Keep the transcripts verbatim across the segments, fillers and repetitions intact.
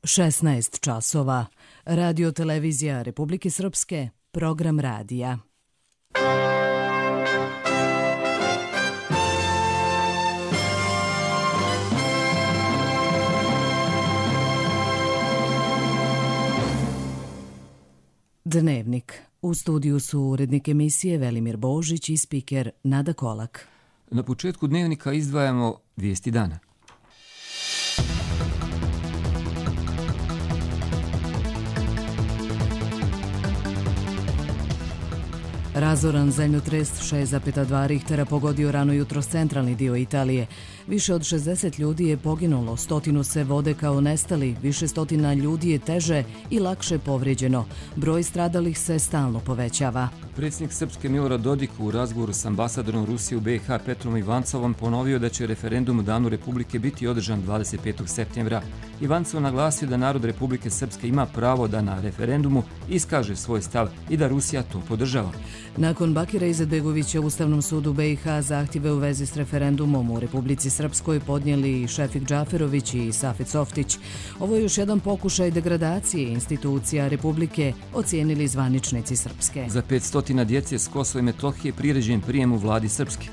šesnaest časova. Radio televizija Republike Srpske, program radija. Dnevnik. U studiju su urednik emisije Velimir Božić i spiker Nada Kolak. Na početku dnevnika izdvajamo vijesti dana. Razoran zemljotres šest zarez dva Richtera pogodio rano jutros centralni dio Italije. Više od šezdeset ljudi je poginulo, stotinu se vode kao nestali, više stotina ljudi je teže i lakše povrijeđeno. Broj stradalih se stalno povećava. Predsjednik Srpske Milorad Dodik u razgovoru s ambasadorom Rusije u B i H Petrom Ivancovom ponovio da će referendum u Danu Republike biti održan dvadeset petog septembra. Ivancov naglasio da narod Republike Srpske ima pravo da na referendumu iskaže svoj stav i da Rusija to podržava. Nakon Bakira Izetbegovića u Ustavnom sudu B i H zahtjeve u vezi s referendumom u Republici Srpskoj podnijeli Šefik Džaferović i Safet Softić. Ovo je još jedan pokušaj degradacije institucija Republike, ocijenili zvaničnici Srpske. Za petsto djece s Kosova i Metohije priređen prijem u vladi Srpske.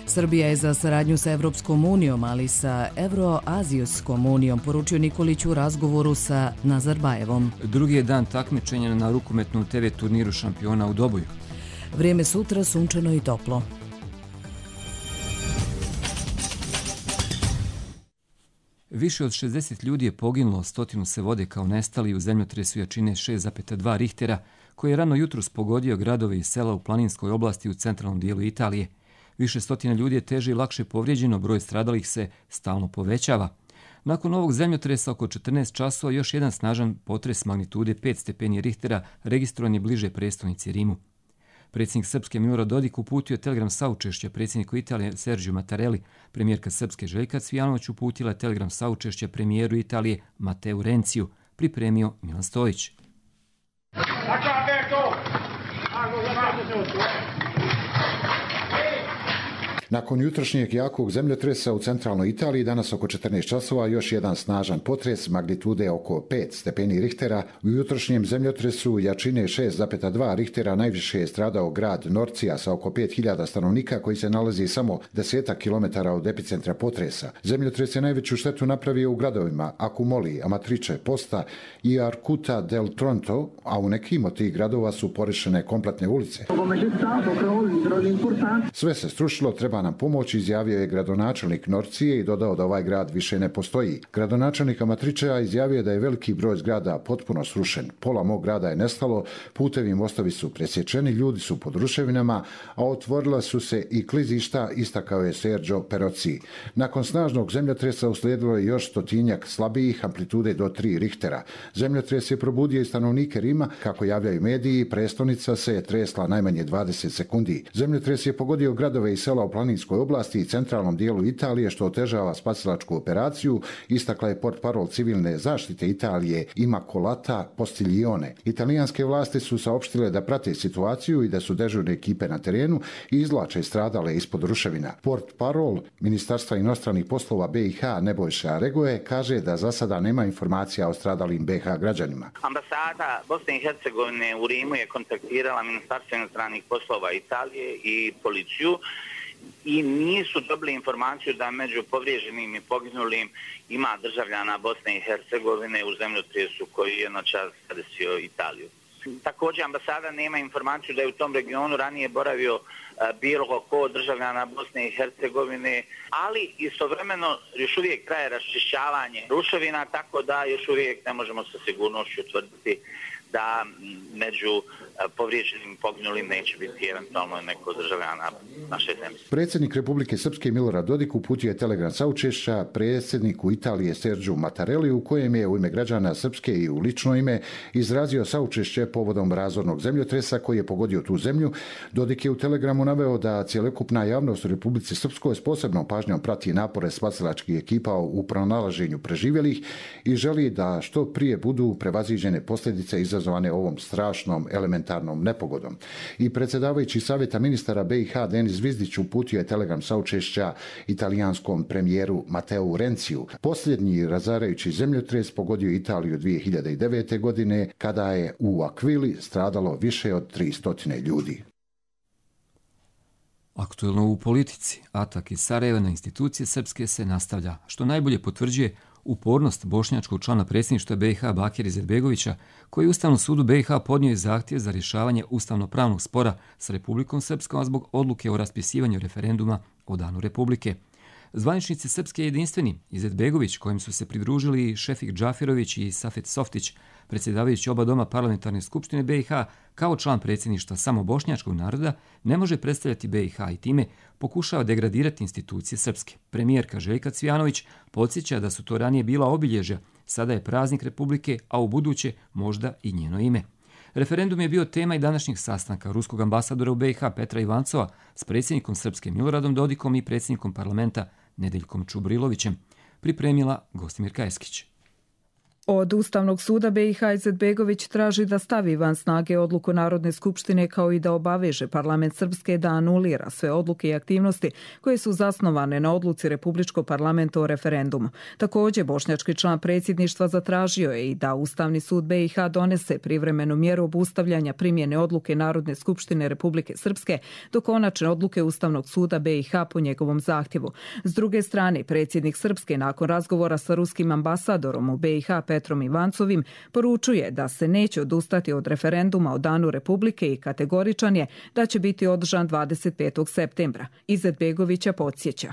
Srbija je za saradnju sa Evropskom unijom, ali sa Evroazijskom unijom, poručio Nikolić u razgovoru sa Nazarbajevom. Drugi je dan takmičenja na rukometnom te ve turniru šampiona u Doboju. Vrijeme sutra sunčano i toplo. Više od šezdeset ljudi je poginulo, stotinu se vode kao nestali u zemljotresu jačine šest zarez dva Richtera, koji je rano jutros pogodio gradove i sela u planinskoj oblasti u centralnom dijelu Italije. Više stotina ljudi je teže i lakše povrijeđeno, broj stradalih se stalno povećava. Nakon ovog zemljotresa oko četrnaest časova još jedan snažan potres magnitude pet stepeni Richtera registrovan je bliže prestonici Rimu. Predsjednik Srpske Milorad Dodik uputio telegram saučešća predsjedniku Italije Sergiju Mattarelli. Premijerka Srpske Željka Cvijanović uputila telegram saučešća premijeru Italije Mateu Renciju. Pripremio Milan Stojić. Nakon jutrošnjeg jakog zemljotresa u centralnoj Italiji danas oko četrnaest časova još jedan snažan potres magnitude oko pet stepeni Richtera. U jutrošnjem zemljotresu jačine šest zarez dva Richtera najviše je stradao grad Norcija sa oko pet hiljada stanovnika koji se nalazi samo desetak kilometara od epicentra potresa. Zemljotres je najveću štetu napravio u gradovima Accumoli, Amatrice, Posta i Arcuta del Tronto, a u nekim od tih gradova su porešene kompletne ulice. Sve se strušilo, treba nam pomoć, izjavio je gradonačelnik Norcije i dodao da ovaj grad više ne postoji. Gradonačelnik Amatričeja izjavio da je veliki broj zgrada potpuno srušen. Pola mog grada je nestalo, putevi i mostovi su presječeni, ljudi su pod ruševinama, a otvorila su se i klizišta, istakao je Sergio Perozzi. Nakon snažnog zemljotresa uslijedilo je još stotinjak slabijih amplitude do tri Richtera. Zemljotres je probudio i stanovnike Rima, kako javljaju mediji, prestonica se je tresla najmanje dvadeset sekundi. Zemljotres je pogodio gradove i sela u planinskoj oblasti i centralnom dijelu Italije, što otežava spasilačku operaciju, istakla je portparol civilne zaštite Italije Immacolata Postiglione. Italijanske vlasti su saopštile da prate situaciju i da su dežurne ekipe na terenu i izvlače stradale ispod ruševina. Portparol Ministarstva inostranih poslova B i H Nebojša Regoje kaže da za sada nema informacija o stradalim B i H građanima. Ambasada Bosne i Hercegovine u Rimu je kontaktirala Ministarstvo inostranih poslova Italije i policiju i nisu dobili informaciju da među povrijeđenim i poginulim ima državljana Bosne i Hercegovine u zemljotresu koji je noćas zadesio Italiju. Također ambasada nema informaciju da je u tom regionu ranije boravio bilo ko državljana Bosne i Hercegovine, ali istovremeno još uvijek traje raščišćavanje ruševina, tako da još uvijek ne možemo sa sigurnošću tvrditi da među povrijeđenim poginulim neće biti eventualno neko državljana naše zemlje. Predsjednik Republike Srpske Milorad Dodik uputio je telegram saučešća predsjedniku Italije Sergiju Mattarelli, u kojem je u ime građana Srpske i u lično ime izrazio saučešće povodom razornog zemljotresa koji je pogodio tu zemlju. Dodik je u telegramu naveo da cjelokupna javnost u Republici Srpskoj s posebnom pažnjom prati napore spasilačkih ekipa u pronalaženju preživjelih i želi da što prije budu prevaziđene posljedice izazvane ovom strašnom elementarnom elementarnom nepogodom. I predsjedavajući savjeta ministara B i H Denis Zvizdić uputio je telegram saučešća italijanskom premijeru Mateu Renciju. Posljednji razarajući zemljotres pogodio Italiju dvije hiljade devete. godine kada je u Akvili stradalo više od tristo ljudi. Aktuelno u politici, atak iz Sarajeva na institucije srpske se nastavlja, što najbolje potvrđuje upornost bošnjačkog člana predsjedništva B i H Bakira Izetbegovića, koji je Ustavnom sudu B i H podnio zahtjev za rješavanje ustavno-pravnog spora s Republikom Srpskom zbog odluke o raspisivanju referenduma o danu Republike. Zvaničnici Srpske jedinstveni, Izetbegović, kojim su se pridružili Šefik Džafirović i Safet Softić, predsjedavajući oba doma parlamentarne skupštine B i H, kao član predsjedništva samo bošnjačkog naroda, ne može predstavljati B i H i time pokušava degradirati institucije srpske. Premijerka Željka Cvijanović podsjeća da su to ranije bila obilježja, sada je praznik Republike, a u buduće možda i njeno ime. Referendum je bio tema i današnjeg sastanka ruskog ambasadora u B i H Petra Ivancova s predsjednikom Srpske Miloradom Dodikom i predsjednikom parlamenta Nedeljkom Čubrilovićem, pripremila Gostimirka Eskić. Od Ustavnog suda B i H Izetbegović traži da stavi van snage odluku Narodne skupštine kao i da obaveže parlament Srpske da anulira sve odluke i aktivnosti koje su zasnovane na odluci Republičkog parlamenta o referendumu. Također, bošnjački član predsjedništva zatražio je i da Ustavni sud B i H donese privremenu mjeru obustavljanja primjene odluke Narodne skupštine Republike Srpske do konačne odluke Ustavnog suda B i H po njegovom zahtjevu. S druge strane, predsjednik Srpske nakon razgovora sa ruskim ambasadorom u B i H Petrom Ivancovim poručuje da se neće odustati od referenduma o danu Republike i kategoričan je da će biti održan dvadeset petog septembra. Izetbegovića podsjeća.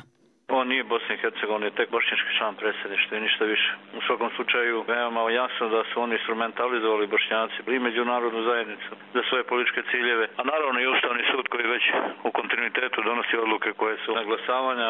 On nije Bosna i Hercegovina, tek bošnjački član predsjedništva i ništa više. U svakom slučaju veoma jasno da su oni instrumentalizovali Bošnjaci i međunarodnu zajednicu za svoje političke ciljeve, a naravno i Ustavni sud koji već u kontinuitetu donosi odluke koje su naglasavanja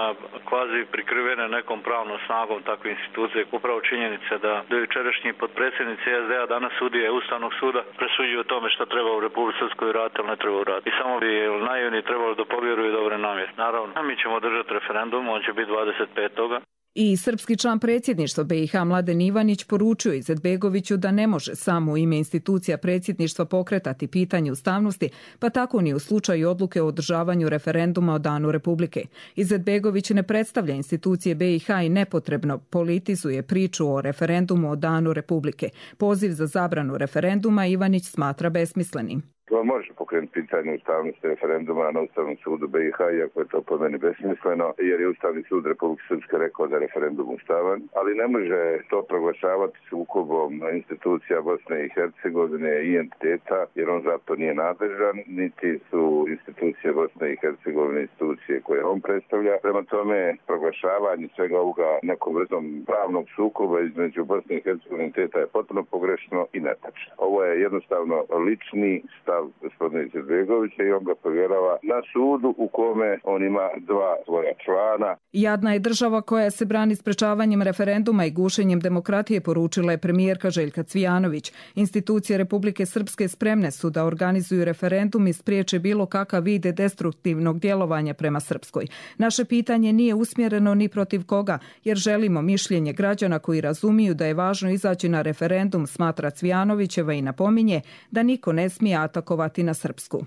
kvazi prikrivene nekom pravnom snagom takve institucije. Upravo činjenica da do jučerašnji potpredsjednici S D A danas sudije Ustavnog suda presuđuju o tome što treba u Republici Srpskoj uraditi, ali ne treba uraditi. I samo bi naivni trebalo da povjeruju dobre namjere. Naravno, mi ćemo držati referendum, on će biti dvadeset petoga I srpski član predsjedništva B i H Mladen Ivanić poručio Izetbegoviću da ne može samo u ime institucija predsjedništva pokretati pitanje ustavnosti, pa tako ni u slučaju odluke o održavanju referenduma o danu Republike. Izetbegović ne predstavlja institucije B i H i nepotrebno politizuje priču o referendumu o danu Republike. Poziv za zabranu referenduma Ivanić smatra besmislenim. To može pokrenuti pitanje ustavnosti referenduma na Ustavnom sudu B i H, iako je to po meni besmisleno, jer je Ustavni sud Republike Srpske rekao da je referendum ustavan, ali ne može to proglašavati sukobom institucija Bosne i Hercegovine i entiteta, jer on zato nije nadležan, niti su institucije Bosne i Hercegovine institucije koje on predstavlja. Prema tome, proglašavanje svega ovoga nekom vrstom pravnog sukoba između Bosne i Hercegovine i entiteta je potpuno pogrešno i netačno. Ovo je jednostavno lični stav gospodina Izetbegovića i on ga povjerava na sudu u kome on ima dva svoja člana. Jadna je država koja se brani sprečavanjem referenduma i gušenjem demokratije, poručila je premijerka Željka Cvijanović. Institucije Republike Srpske spremne su da organizuju referendum i spriječe bilo kakav vid destruktivnog djelovanja prema Srpskoj. Naše pitanje nije usmjereno ni protiv koga, jer želimo mišljenje građana koji razumiju da je važno izaći na referendum, smatra Cvijanovićeva i napominje da niko ne smije atakovati na Srpsku.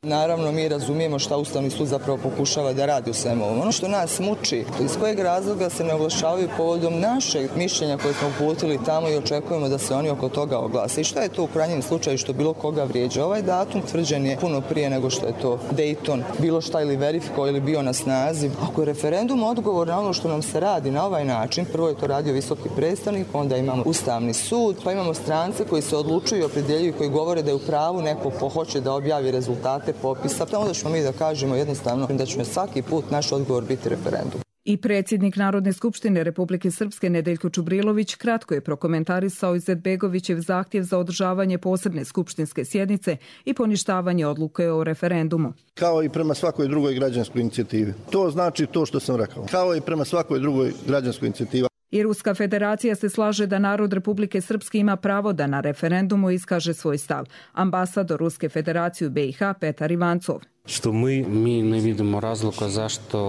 Naravno, mi razumijemo šta Ustavni sud zapravo pokušava da radi u svemu ovom. Ono što nas muči, iz kojeg razloga se ne oglašavaju povodom našeg mišljenja koje smo uputili tamo i očekujemo da se oni oko toga oglase. I šta je to u krajnjem slučaju što bilo koga vrijeđa? Ovaj datum tvrđen je puno prije nego što je to Dayton, bilo šta ili verifikao ili bio na snazi. Ako je referendum odgovor na ono što nam se radi na ovaj način, prvo je to radio visoki predstavnik, onda imamo Ustavni sud, pa imamo strance koji se odlučuju i opredjeljuju, koji govore da je u pravu neko ko hoće da objavi rezultate popisa, pa onda ćemo mi da kažemo jednostavno da će svaki put naš odgovor biti referendum. I predsjednik Narodne skupštine Republike Srpske Nedeljko Čubrilović kratko je prokomentarisao Izetbegovićev zahtjev za održavanje posebne skupštinske sjednice i poništavanje odluke o referendumu. Kao i prema svakoj drugoj građanskoj inicijativi. To znači to što sam rekao. Kao i prema svakoj drugoj građanskoj inicijativi. I Ruska federacija se slaže da narod Republike Srpske ima pravo da na referendumu iskaže svoj stav. Ambasador Ruske federacije u B i H Petar Ivancov. Što mi, mi ne vidimo razloga zašto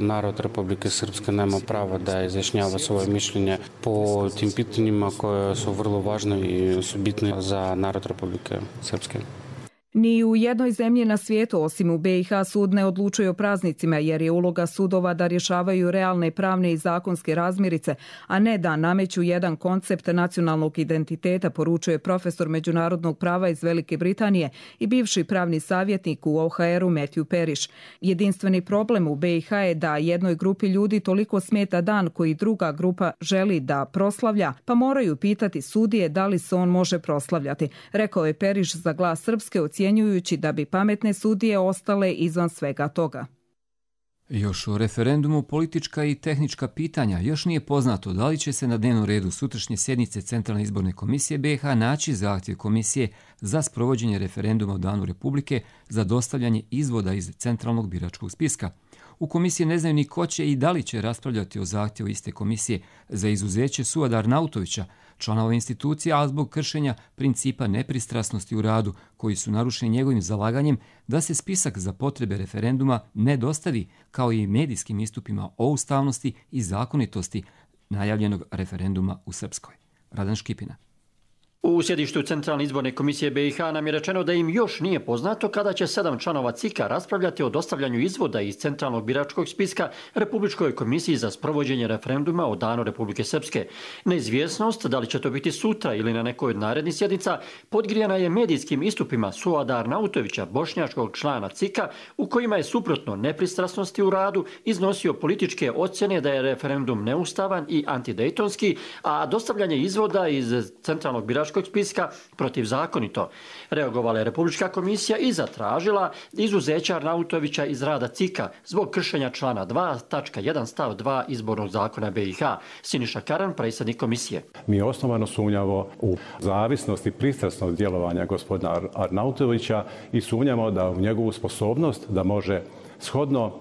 narod Republike Srpske nema pravo da izjašnjava svoje mišljenje po tim pitanjima koje su vrlo važne i su bitne za narod Republike Srpske. Ni u jednoj zemlji na svijetu, osim u be i ha, sud ne odlučuje o praznicima, jer je uloga sudova da rješavaju realne pravne i zakonske razmirice, a ne da nameću jedan koncept nacionalnog identiteta, poručuje profesor međunarodnog prava iz Velike Britanije i bivši pravni savjetnik u o ha eru Matthew Parrish. Jedinstveni problem u be i ha je da jednoj grupi ljudi toliko smeta dan koji druga grupa želi da proslavlja, pa moraju pitati sudije da li se on može proslavljati, rekao je Parrish za Glas Srpske, ocjenjujući da bi pametne sudije ostale izvan svega toga. Još o referendumu, politička i tehnička pitanja. Još nije poznato da li će se na dnevnom redu sutrašnje sjednice Centralne izborne komisije be i ha naći zahtjev komisije za sprovođenje referenduma o Danu Republike za dostavljanje izvoda iz Centralnog biračkog spiska. U komisiji ne znaju ni ko će i da li će raspravljati o zahtjevu iste komisije za izuzeće Suada Arnautovića, člana ove institucije, a zbog kršenja principa nepristrasnosti u radu, koji su narušeni njegovim zalaganjem da se spisak za potrebe referenduma ne dostavi, kao i medijskim istupima o ustavnosti i zakonitosti najavljenog referenduma u Srpskoj. Radan Škipina. U sjedištu Centralne izborne komisije be i ha nam je rečeno da im još nije poznato kada će sedam članova C I K-a raspravljati o dostavljanju izvoda iz Centralnog biračkog spiska Republičkoj komisiji za sprovođenje referenduma o Danu Republike Srpske. Neizvjesnost, da li će to biti sutra ili na nekoj od narednih sjednica, podgrijana je medijskim istupima Suada Arnautovića, bošnjačkog člana C I K-a, u kojima je suprotno nepristrasnosti u radu iznosio političke ocjene da je referendum neustavan i antidejtonski, a dostavljanje izvoda iz Centralnog biračkog spiska protivzakonito. Reagovala je Republička komisija i zatražila izuzeća Arnautovića iz rada C I K-a zbog kršenja člana dva tačka jedan stav dva izbornog zakona be i ha. Siniša Karan, predsjednik komisije. Mi osnovano sumnjamo u zavisnost i pristrasnost djelovanja gospodina Arnautovića i sumnjamo da u njegovu sposobnost da može shodno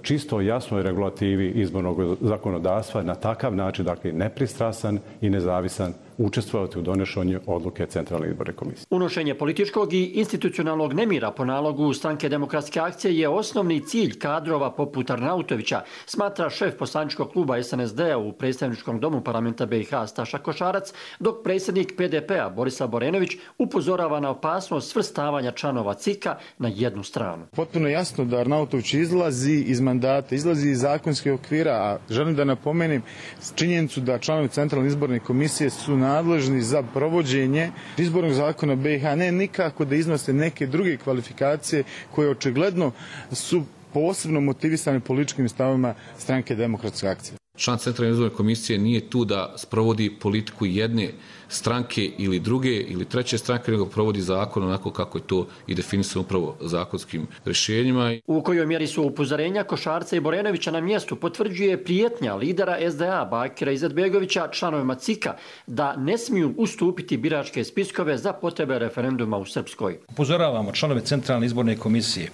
čisto jasnoj regulativi izbornog zakonodavstva na takav način, dakle nepristrasan i nezavisan, učestvovati u donošenju odluke Centralne izborne komisije. Unošenje političkog i institucionalnog nemira po nalogu Stranke demokratske akcije je osnovni cilj kadrova poput Arnautovića, smatra šef poslaničkog kluba es en es de-a u predstavničkom domu parlamenta be i ha Staša Košarac, dok predsjednik pe de pe-a Borislav Borenović upozorava na opasnost svrstavanja članova C I K-a na jednu stranu. Potpuno jasno da Arnautović izlazi iz mandata, izlazi iz zakonskih okvira, a želim da napomenem činjenicu da članovi Centralne izborne komisije su nadležni za provođenje izbornog zakona be i ha, ne nikako da iznose neke druge kvalifikacije koje očigledno su posebno motivisane političkim stavovima Stranke demokratske akcije. Član Centralne izborne komisije nije tu da sprovodi politiku jedne stranke ili druge ili treće stranke, nego provodi zakon onako kako je to i definisano upravo zakonskim rješenjima. U kojoj mjeri su upozorenja Košarca i Borenovića na mjestu potvrđuje prijetnja lidera es de a Bakira Izetbegovića članovima C I K-a da ne smiju ustupiti biračke spiskove za potrebe referenduma u Srpskoj. Upozoravamo članove Centralne izborne komisije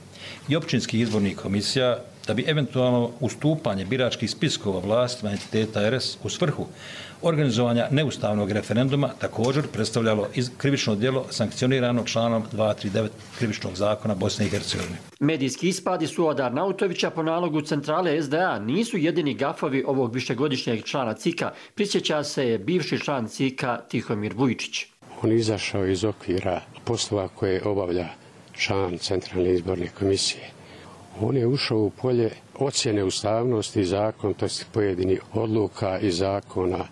i općinskih izbornih komisija da bi eventualno ustupanje biračkih spiskova vlastima entiteta er es u svrhu organizovanja neustavnog referenduma također predstavljalo krivično djelo sankcionirano članom dvjesto trideset devet krivičnog zakona Bosne i Hercegovine. Medijski ispadi Suada Arnautovića po nalogu centrale es de a nisu jedini gafovi ovog višegodišnjeg člana C I K-a, prisjeća se bivši član C I K-a Tihomir Vujičić. On je izašao iz okvira poslova koje obavlja član Centralne izborne komisije. On je ušao u polje ocjene ustavnosti i zakonitosti pojedinih odluka i zakona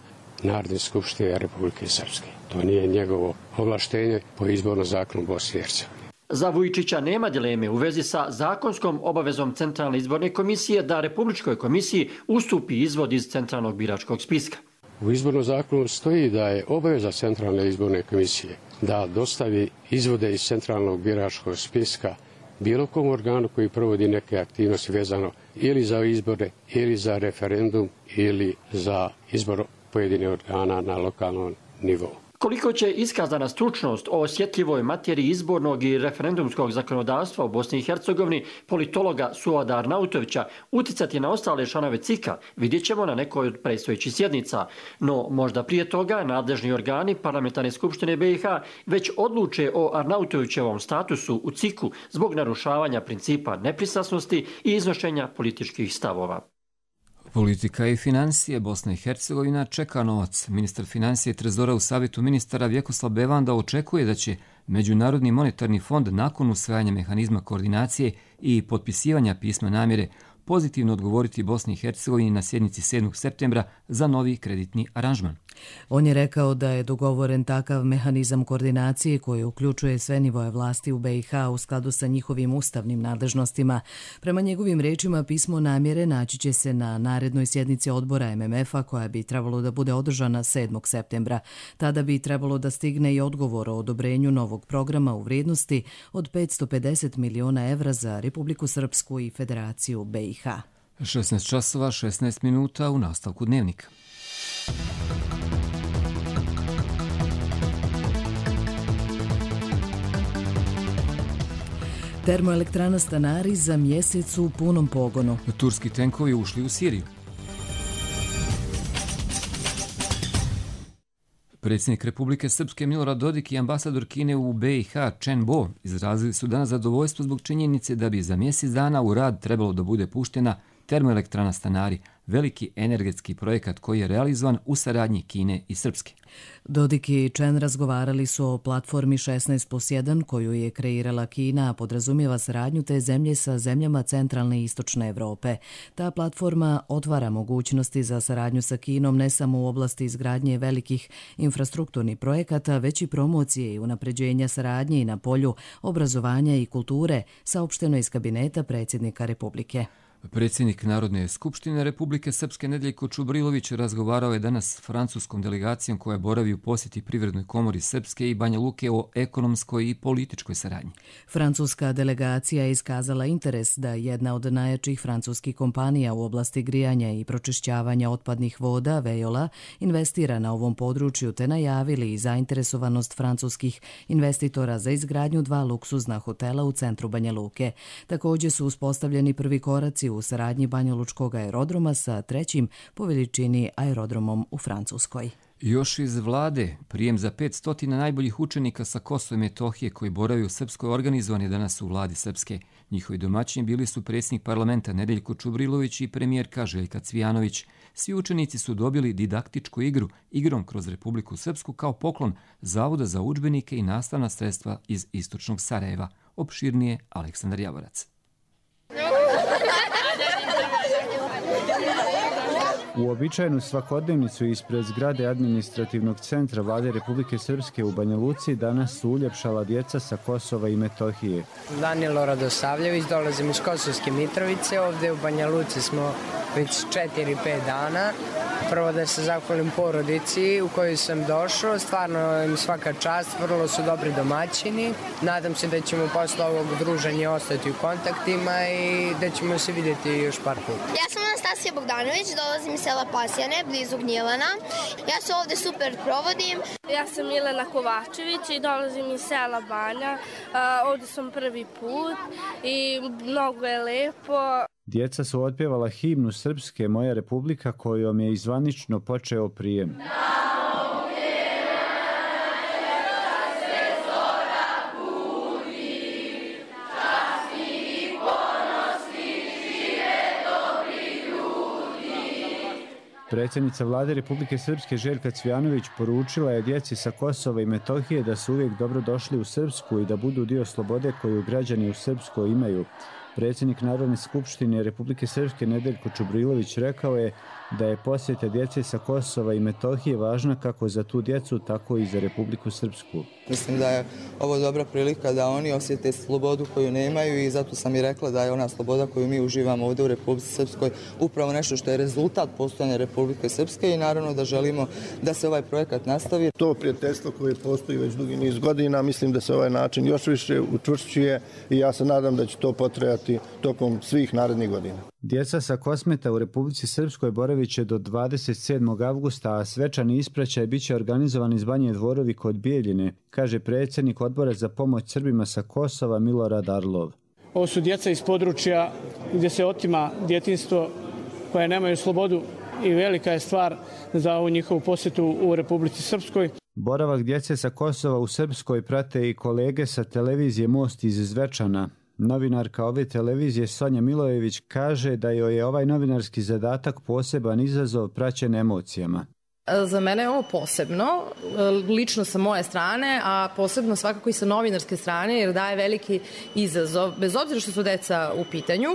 Narodne skupštine Republike Srpske. To nije njegovo ovlaštenje po izbornom zakonu Bosne i Hercegovine. Za Vujičića nema dileme u vezi sa zakonskom obavezom Centralne izborne komisije da Republičkoj komisiji ustupi izvod iz Centralnog biračkog spiska. U izbornom zakonu stoji da je obaveza Centralne izborne komisije da dostavi izvode iz Centralnog biračkog spiska bilo kom organu koji provodi neke aktivnosti vezano ili za izbore, ili za referendum, ili za izbor pojedinih organa na lokalnom nivou. Koliko će iskazana stručnost o osjetljivoj materiji izbornog i referendumskog zakonodavstva u Bosni i Hercegovini politologa Suada Arnautovića uticati na ostale članove C I K-a, vidjet ćemo na nekoj od predstojećih sjednica. No, možda prije toga nadležni organi Parlamentarne skupštine be i ha već odluče o Arnautovićevom statusu u C I K-u zbog narušavanja principa nepristrasnosti i iznošenja političkih stavova. Politika i financije. Bosna i Hercegovina čeka novac. Ministar financije i trezora u savjetu ministara Vjekoslav Bevanda očekuje da će Međunarodni monetarni fond nakon usvajanja mehanizma koordinacije i potpisivanja pisma namjere pozitivno odgovoriti Bosni i Hercegovini na sjednici sedmog septembra za novi kreditni aranžman. On je rekao da je dogovoren takav mehanizam koordinacije koji uključuje sve nivoje vlasti u B i H u skladu sa njihovim ustavnim nadležnostima. Prema njegovim rečima, pismo namjere naći će se na narednoj sjednici odbora M M F-a koja bi trebalo da bude održana sedmog septembra. Tada bi trebalo da stigne i odgovor o odobrenju novog programa u vrijednosti od petsto pedeset miliona evra za Republiku Srpsku i Federaciju B i H. šesnaest časova, šesnaest minuta u nastavku dnevnika. Termoelektrana Stanari za mjesec u punom pogonu. Turski tenkovi ušli u Siriju. Predsjednik Republike Srpske Milorad Dodik i ambasador Kine u B i H Chen Bo izrazili su danas zadovoljstvo zbog činjenice da bi za mjesec dana u rad trebalo da bude puštena termoelektrana Stanari, veliki energetski projekat koji je realizovan u saradnji Kine i Srpske. Dodik i Chen razgovarali su o platformi šesnaest plus jedan koju je kreirala Kina, a podrazumijeva saradnju te zemlje sa zemljama centralne i istočne Evrope. Ta platforma otvara mogućnosti za saradnju sa Kinom ne samo u oblasti izgradnje velikih infrastrukturnih projekata, već i promocije i unapređenja saradnje i na polju obrazovanja i kulture, saopšteno iz kabineta predsjednika Republike. Predsjednik Narodne skupštine Republike Srpske Nedeljko Čubrilović razgovarao je danas s francuskom delegacijom koja boravi u posjeti Privrednoj komori Srpske i Banja Luke o ekonomskoj i političkoj saradnji. Francuska delegacija je iskazala interes da jedna od najjačih francuskih kompanija u oblasti grijanja i pročišćavanja otpadnih voda, Veola, investira na ovom području te najavili i zainteresovanost francuskih investitora za izgradnju dva luksuzna hotela u centru Banja Luke. Također su uspostavljeni prvi koraci u saradnji Banjalučkog aerodroma sa trećim po veličini aerodromom u Francuskoj. Još iz vlade, prijem za petsto najboljih učenika sa Kosova i Metohije koji boravi u Srpskoj organizovan je danas u vladi Srpske. Njihovi domaćini bili su predsjednik parlamenta Nedeljko Čubrilović i premijerka Željka Cvijanović. Svi učenici su dobili didaktičku igru, igrom kroz Republiku Srpsku kao poklon Zavoda za udžbenike i nastavna sredstva iz istočnog Sarajeva. Opširnije Aleksandar Javorac. U običajnu svakodnevnicu ispred zgrade administrativnog centra Vlade Republike Srpske u Banja Luci danas su uljepšala djeca sa Kosova i Metohije. Danilo Radosavljević, dolazim iz Kosovske Mitrovice, ovdje u Banja Luci smo već četiri pet dana. Prvo da se zahvalim porodici u kojoj sam došao, stvarno im svaka čast, vrlo su dobri domaćini. Nadam se da ćemo posle ovog druženja ostati u kontaktima i da ćemo se vidjeti još par puta. Ja sam Anastasija Bogdanović, dolazim iz sela Pasjane, blizu Gnjilana. Ja se ovdje super provodim. Ja sam Milena Kovačević i dolazim iz sela Banja. Ovdje sam prvi put i mnogo je lepo. Djeca su otpjevala himnu Srpske Moja Republika kojom je izvanično počeo prijem. Predsjednica Vlade Republike Srpske Željka Cvijanović poručila je djeci sa Kosova i Metohije da su uvijek dobro došli u Srpsku i da budu dio slobode koju građani u Srpskoj imaju. Predsjednik Narodne skupštine Republike Srpske Nedeljko Čubrilović rekao je da je posjeta djece sa Kosova i Metohije važna kako za tu djecu, tako i za Republiku Srpsku. Mislim da je ovo dobra prilika da oni osjete slobodu koju nemaju i zato sam i rekla da je ona sloboda koju mi uživamo ovdje u Republici Srpskoj upravo nešto što je rezultat postojanja Republike Srpske i naravno da želimo da se ovaj projekat nastavi. To prijateljstvo koje postoji već dugi niz godina, mislim da se ovaj način još više učvršćuje i ja se nadam da će to potrajati tokom svih narednih godina. Djeca sa Kosmeta u Republici Srpskoj boravit će do dvadeset sedmog avgusta, a svečani ispraćaj bit će organizovan iz Banje Dvorovi kod Bijeljine, kaže predsjednik Odbora za pomoć Srbima sa Kosova Milorad Arlov. Ovo su djeca iz područja gdje se otima djetinjstvo, koje nemaju slobodu i velika je stvar za ovu njihovu posjetu u Republici Srpskoj. Boravak djece sa Kosova u Srpskoj prate i kolege sa televizije Most iz Zvečana. Novinarka ove televizije Sonja Milojević kaže da joj je ovaj novinarski zadatak poseban izazov praćen emocijama. Za mene je ovo posebno, lično sa moje strane, a posebno svakako i sa novinarske strane, jer daje veliki izazov, bez obzira što su deca u pitanju.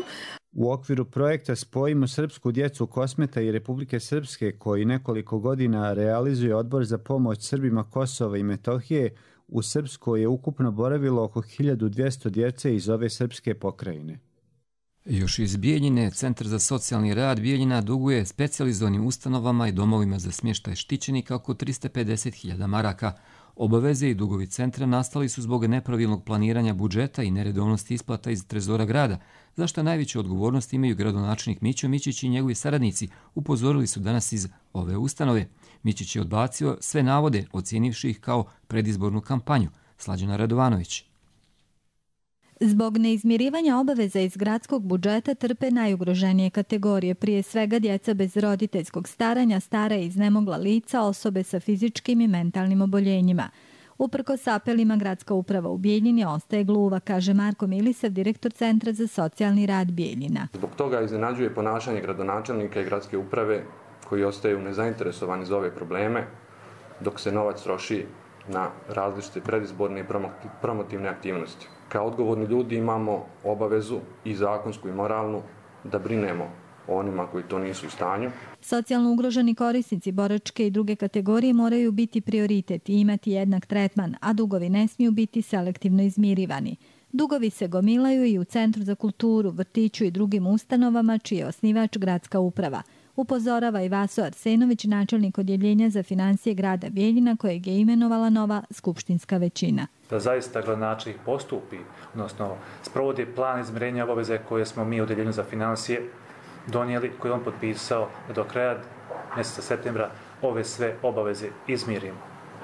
U okviru projekta Spojimo srpsku djecu Kosmeta i Republike Srpske, koji nekoliko godina realizuje Odbor za pomoć Srbima Kosova i Metohije, u Srpskoj je ukupno boravilo oko hiljadu dvjesto djece iz ove srpske pokrajine. Još iz Bijeljine, Centar za socijalni rad Bijeljina duguje specijalizovanim ustanovama i domovima za smještaj štićenika oko trista pedeset hiljada maraka. Obaveze i dugovi centra nastali su zbog nepravilnog planiranja budžeta i neredovnosti isplata iz trezora grada, za što najveću odgovornost imaju gradonačelnik Mićo Mićić i njegovi saradnici, upozorili su danas iz ove ustanove. Mićić je odbacio sve navode, ocijenivši ih kao predizbornu kampanju. Slađana Radovanović. Zbog neizmirivanja obaveza iz gradskog budžeta trpe najugroženije kategorije, prije svega djeca bez roditeljskog staranja, stara i iznemogla lica, osobe sa fizičkim i mentalnim oboljenjima. Uprkos apelima, gradska uprava u Bijeljini ostaje gluva, kaže Marko Milisav, direktor Centra za socijalni rad Bijeljina. Zbog toga iznenađuje ponašanje gradonačelnika i gradske uprave koji ostaju nezainteresovani za ove probleme, dok se novac troši na različite predizborne i promotivne aktivnosti. Kao odgovorni ljudi imamo obavezu i zakonsku i moralnu da brinemo o onima koji to nisu u stanju. Socijalno ugroženi korisnici boračke i druge kategorije moraju biti prioritet i imati jednak tretman, a dugovi ne smiju biti selektivno izmirivani. Dugovi se gomilaju i u Centru za kulturu, vrtiću i drugim ustanovama čiji je osnivač gradska uprava. Upozorava i Vaso Arsenović, načelnik odjeljenja za financije grada Bijeljina, kojeg je imenovala nova skupštinska većina. Da zaista gradonačelnik postupi, odnosno sprovodi plan izmirenja obaveze koje smo mi u odjeljenju za financije donijeli, koje on potpisao da do kraja mjeseca septembra ove sve obaveze izmirimo.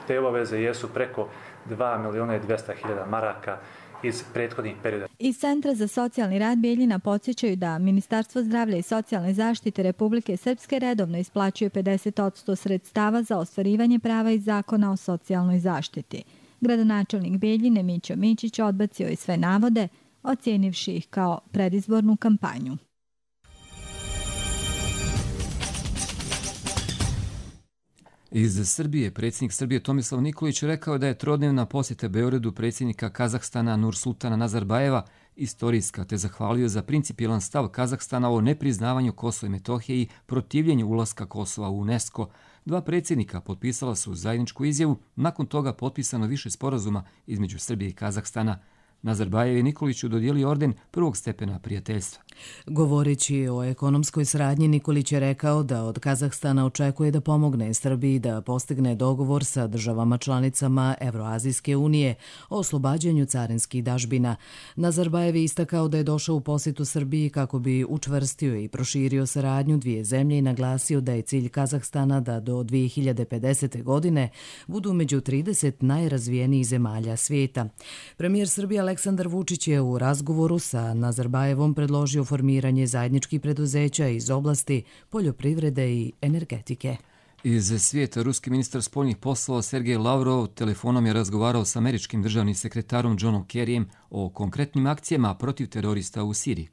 Te obaveze jesu preko dva miliona i dvjesto hiljada maraka iz prethodnih perioda. Iz Centra za socijalni rad Bijeljina podsjećaju da Ministarstvo zdravlja i socijalne zaštite Republike Srpske redovno isplaćuje pedeset posto sredstava za ostvarivanje prava iz Zakona o socijalnoj zaštiti. Gradonačelnik Bijeljine Mićo Mićić odbacio i sve navode, ocijenivši ih kao predizbornu kampanju. Iz Srbije predsjednik Srbije Tomislav Nikolić rekao da je trodnevna posjeta Beogradu predsjednika Kazahstana Nursultana Nazarbajeva istorijska, te zahvalio za principijelan stav Kazahstana o nepriznavanju Kosova i Metohije i protivljenju ulaska Kosova u UNESCO. Dva predsjednika potpisala su zajedničku izjavu, nakon toga potpisano više sporazuma između Srbije i Kazahstana. Nazarbajev je Nikoliću dodijelio orden prvog stepena prijateljstva. Govoreći o ekonomskoj saradnji, Nikolić je rekao da od Kazahstana očekuje da pomogne Srbiji da postigne dogovor sa državama članicama Evroazijske unije o oslobađanju carinskih dažbina. Nazarbajev je istakao da je došao u posjetu Srbiji kako bi učvrstio i proširio saradnju dvije zemlje i naglasio da je cilj Kazahstana da do dvije hiljade pedesete. godine budu među trideset najrazvijenijih zemalja svijeta. Premijer Srbije Aleksandar Vučić je u razgovoru sa Nazarbajevom predložio formiranje zajedničkih preduzeća iz oblasti poljoprivrede i energetike. Iz svijeta ruski ministar spoljnih poslova Sergej Lavrov telefonom je razgovarao s američkim državnim sekretarom Johnom Kerryjem o konkretnim akcijama protiv terorista u Siriji.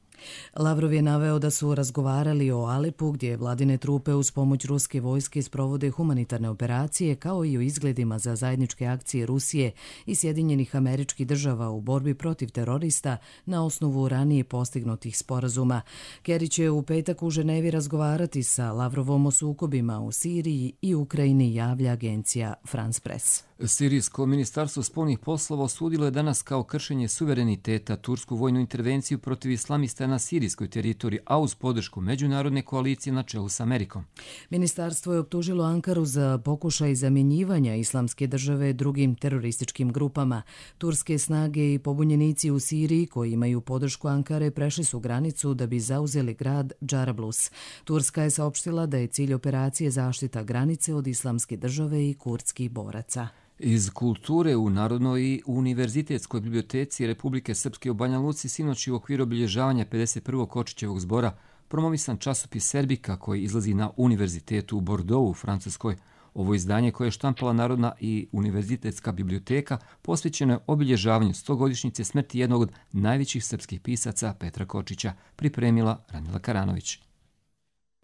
Lavrov je naveo da su razgovarali o Alepu, gdje vladine trupe uz pomoć ruske vojske sprovode humanitarne operacije, kao i o izgledima za zajedničke akcije Rusije i Sjedinjenih Američkih Država u borbi protiv terorista na osnovu ranije postignutih sporazuma. Kerry će u petak u Ženevi razgovarati sa Lavrovom o sukobima u Siriji i Ukrajini, javlja agencija France Press. Sirijsko ministarstvo spoljnih poslova osudilo je danas kao kršenje suvereniteta tursku vojnu intervenciju protiv islamista na sirijskoj teritoriji, a uz podršku međunarodne koalicije na čelu s Amerikom. Ministarstvo je optužilo Ankaru za pokušaj zamjenjivanja islamske države drugim terorističkim grupama. Turske snage i pobunjenici u Siriji koji imaju podršku Ankare prešli su granicu da bi zauzeli grad Džarablus. Turska je saopštila da je cilj operacije zaštita granice od islamske države i kurdskih boraca. Iz kulture u Narodnoj i univerzitetskoj biblioteci Republike Srpske u Banja Luci sinoć u okviru obilježavanja pedeset prvog Kočićevog zbora promovisan časopis Serbika koji izlazi na univerzitetu u Bordeauxu u Francuskoj. Ovo izdanje koje je štampala Narodna i univerzitetska biblioteka posvećeno je obilježavanju stogodišnjice smrti jednog od najvećih srpskih pisaca Petra Kočića, pripremila Ranila Karanović.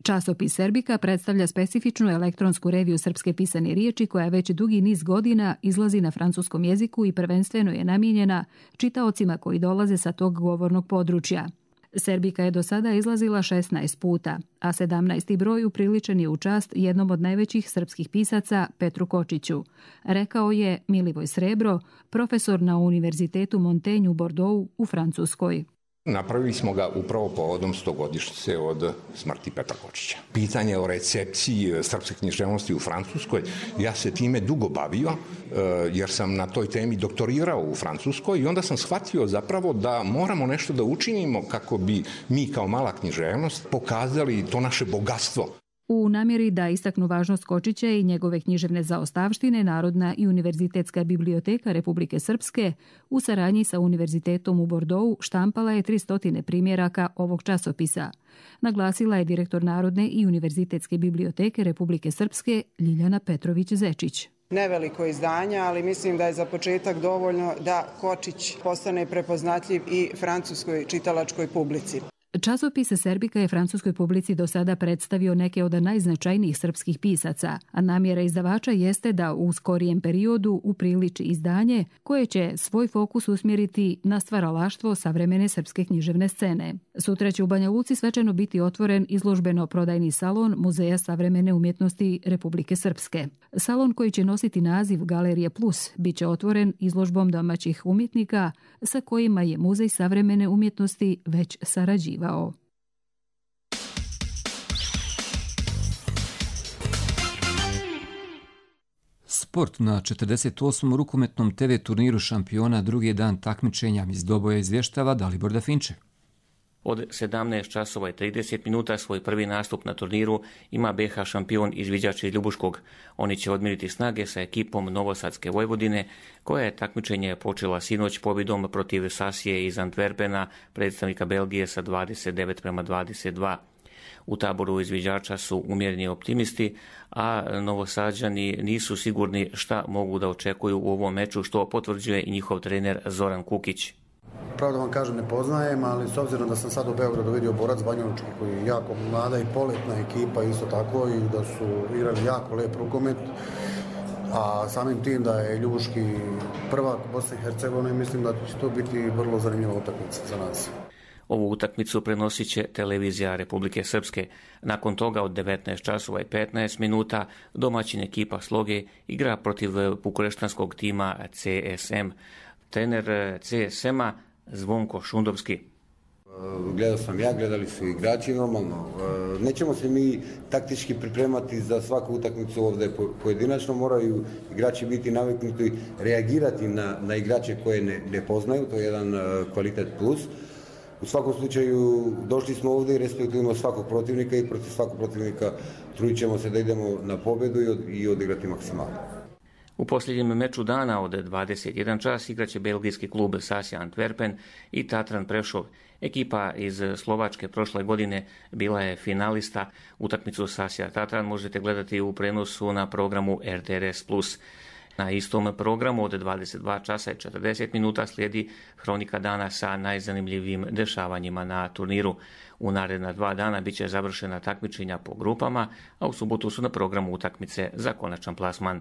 Časopis Serbika predstavlja specifičnu elektronsku reviju srpske pisane riječi koja već dugi niz godina izlazi na francuskom jeziku i prvenstveno je namijenjena čitaocima koji dolaze sa tog govornog područja. Serbika je do sada izlazila šesnaest puta, a sedamnaesti broj upriličen je u čast jednom od najvećih srpskih pisaca Petru Kočiću, rekao je Milivoj Srebro, profesor na Univerzitetu Montaigne u Bordeauxu u Francuskoj. Napravili smo ga upravo povodom stogodišnjice od smrti Petra Kočića. Pitanje o recepciji srpske književnosti u Francuskoj, ja se time dugo bavio, jer sam na toj temi doktorirao u Francuskoj i onda sam shvatio zapravo da moramo nešto da učinimo kako bi mi kao mala književnost pokazali to naše bogatstvo. U namjeri da istaknu važnost Kočića i njegove književne zaostavštine, Narodna i Univerzitetska biblioteka Republike Srpske u saradnji sa Univerzitetom u Bordeauxu štampala je tristo primjeraka ovog časopisa. Naglasila je direktor Narodne i Univerzitetske biblioteke Republike Srpske Ljiljana Petrović-Zečić. Neveliko izdanje, ali mislim da je za početak dovoljno da Kočić postane prepoznatljiv i francuskoj čitalačkoj publici. Časopis Serbika je francuskoj publici do sada predstavio neke od najznačajnijih srpskih pisaca, a namjera izdavača jeste da u skorijem periodu upriliči izdanje koje će svoj fokus usmjeriti na stvaralaštvo savremene srpske književne scene. Sutra će u Banja Luci svečano biti otvoren izložbeno-prodajni salon Muzeja savremene umjetnosti Republike Srpske. Salon koji će nositi naziv Galerije Plus bit će otvoren izložbom domaćih umjetnika sa kojima je Muzej savremene umjetnosti već sarađivao. Sport na četrdeset osmom rukometnom te ve turniru šampiona drugi dan takmičenja iz Doboja izvještava Dalibor Dafinče. Od sedamnaest časova i trideset minuta svoj prvi nastup na turniru ima be ha šampion izviđač iz Ljubuškog. Oni će odmiriti snage sa ekipom Novosadske Vojvodine, koja je takmičenje počela sinoć pobjedom protiv Sasije iz Antwerpena, predstavnika Belgije sa dvadeset devet prema dvadeset dva. U taboru izviđača su umjereni optimisti, a Novosađani nisu sigurni šta mogu da očekuju u ovom meču, što potvrđuje i njihov trener Zoran Kukić. Pravo da vam kažem, ne poznajem, ali s obzirom da sam sad u Beogradu vidio Borac Banjalučki koji je jako mlada i poletna ekipa isto tako i da su igrali jako lep rukomet, a samim tim da je Ljubuški prvak Bosne i Hercegovine, mislim da će to biti vrlo zanimljiva utakmica za nas. Ovu utakmicu prenosit će televizija Republike Srpske. Nakon toga od devetnaest časova i petnaest minuta domaćin ekipa Sloge igra protiv bukureštanskog tima ce es em. Trener ce es ema Zvonko Šundovski. Gledao sam ja, gledali su igrači normalno. Nećemo se mi taktički pripremati za svaku utakmicu ovdje pojedinačno, moraju igrači biti naviknuti reagirati na, na igrače koje ne, ne poznaju, to je jedan kvalitet plus. U svakom slučaju došli smo ovdje i respektujemo svakog protivnika i protiv svakog protivnika trudit ćemo se da idemo na pobjedu i, od, i odigrati maksimalno. U posljednjem meču dana od dvadeset jedan čas igraće belgijski klub Sasja Antwerpen i Tatran Prešov. Ekipa iz Slovačke prošle godine bila je finalista. Utakmicu Sasja Tatran možete gledati u prenosu na programu er te er es plus. Na istom programu od dvadeset dva časa i četrdeset minuta slijedi hronika dana sa najzanimljivijim dešavanjima na turniru. U naredna dva dana bit će završena takmičenja po grupama, a u subotu su na programu utakmice za konačan plasman.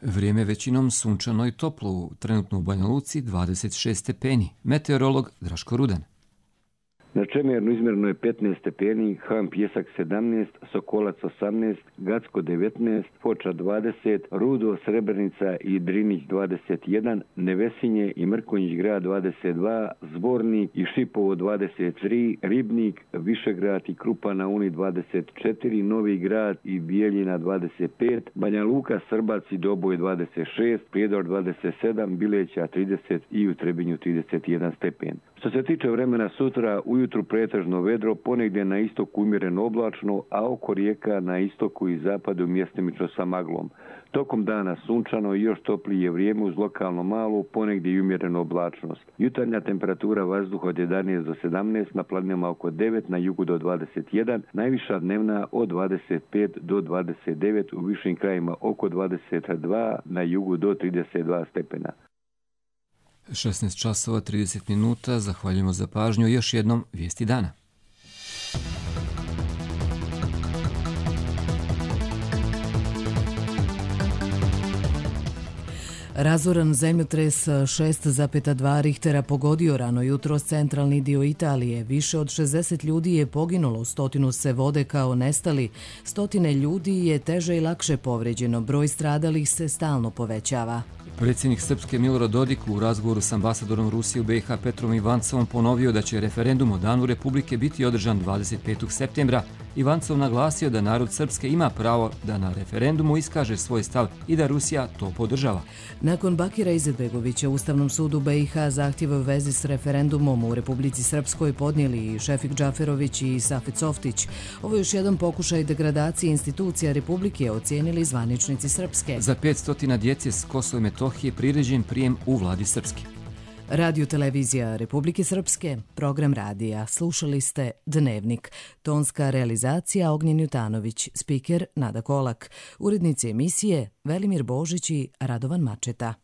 Vrijeme većinom sunčano i toplo, trenutno u Banja Luci dvadeset šest stepeni. Meteorolog Draško Rudan. Na Čemernu izmjereno je petnaest stepeni, Ham Pjesak sedamnaest, Sokolac osamnaest, Gacko devetnaest, Foča dvadeset, Rudo, Srebrenica i Drinić dvadeset jedan, Nevesinje i Mrkonjić grad dvadeset dva, Zvornik i Šipovo dvadeset tri, Ribnik, Višegrad i Krupa na Uni dvadeset četiri, Novi grad i Bijeljina dvadeset pet, Banja Luka, Srbac i Doboj dvadeset šest, Prijedor dvadeset sedam, Bileća trideset i u Trebinju trideset jedan stepen. Što se tiče vremena sutra, ujutru pretežno vedro, ponegdje na istoku umjereno oblačno, a oko rijeka na istoku i zapadu mjestimično sa maglom. Tokom dana sunčano i još toplije vrijeme uz lokalno malu, ponegdje i umjerenu oblačnost. Jutarnja temperatura vazduha od jedanaest do sedamnaest, na planinama oko devet, na jugu do dvadeset jedan, najviša dnevna od dvadeset pet do dvadeset devet, u višim krajima oko dvadeset dva, na jugu do trideset dva stepena. šesnaest časova trideset minuta, zahvaljujemo za pažnju. Još jednom vijesti dana. Razoran zemljotres šest zarez dva Richtera pogodio rano jutros centralni dio Italije. Više od šezdeset ljudi je poginulo, stotinu se vode kao nestali, stotine ljudi je teže i lakše povređeno, broj stradalih se stalno povećava. Predsjednik Srpske Milorad Dodik u razgovoru s ambasadorom Rusije u B i H Petrom Ivancovom ponovio da će referendum o Danu Republike biti održan dvadeset petog septembra. Ivancov naglasio da narod Srpske ima pravo da na referendumu iskaže svoj stav i da Rusija to podržava. Nakon Bakira Izetbegovića Ustavnom sudu B i H zahtjeve u vezi s referendumom u Republici Srpskoj podnijeli i Šefik Džaferović i Safet Softić. Ovo je još jedan pokušaj degradacije institucija Republike, ocijenili zvaničnici Srpske. Za petsto djece s Kosova i Metohije priređen prijem u vladi Srpske. Radio televizija Republike Srpske, program radija. Slušali ste Dnevnik. Tonska realizacija Ognjen Jutanović, spiker Nada Kolak. Urednici emisije Velimir Božić i Radovan Mačeta.